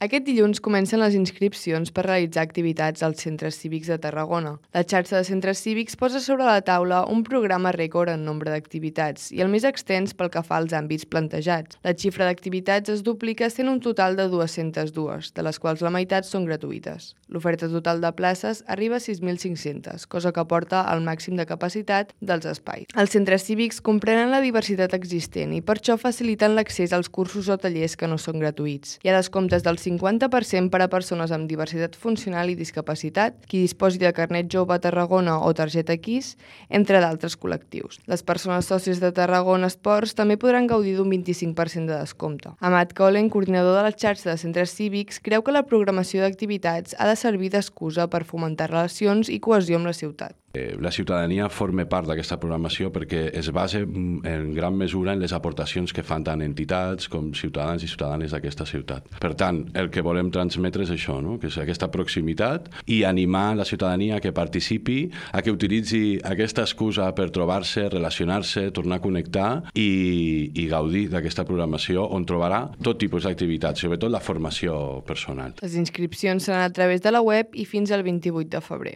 Aquest dilluns comencen les inscripcions per realitzar activitats als centres cívics de Tarragona. La xarxa de centres cívics posa sobre la taula un programa rècord en nombre d'activitats i el més extens pel que fa als àmbits plantejats. La xifra d'activitats es duplica sent un total de 202, de les quals la meitat són gratuïtes. L'oferta total de places arriba a 6.500, cosa que porta al màxim de capacitat dels espais. Els centres cívics comprenen la diversitat existent i per això faciliten l'accés als cursos o tallers que no són gratuïts. Hi ha descomptes del 50% per a persones amb diversitat funcional i discapacitat, qui disposi de carnet jove a Tarragona o targeta KISS, entre d'altres col·lectius. Les persones sòcies de Tarragona Esports també podran gaudir d'un 25% de descompte. Amat Colen, coordinador de la xarxa de centres cívics, creu que la programació d'activitats ha de servir d'excusa per fomentar relacions i cohesió amb la ciutat. La ciutadania forma part d'aquesta programació perquè es basa en gran mesura en les aportacions que fan tant entitats com ciutadans i ciutadanes d'aquesta ciutat. Per tant, el que volem transmetre és això, no? Que és aquesta proximitat i animar la ciutadania a que participi, a que utilitzi aquesta excusa per trobar-se, relacionar-se, tornar a connectar i gaudir d'aquesta programació on trobarà tot tipus d'activitats, sobretot la formació personal. Les inscripcions seran a través de la web i fins al 28 de febrer.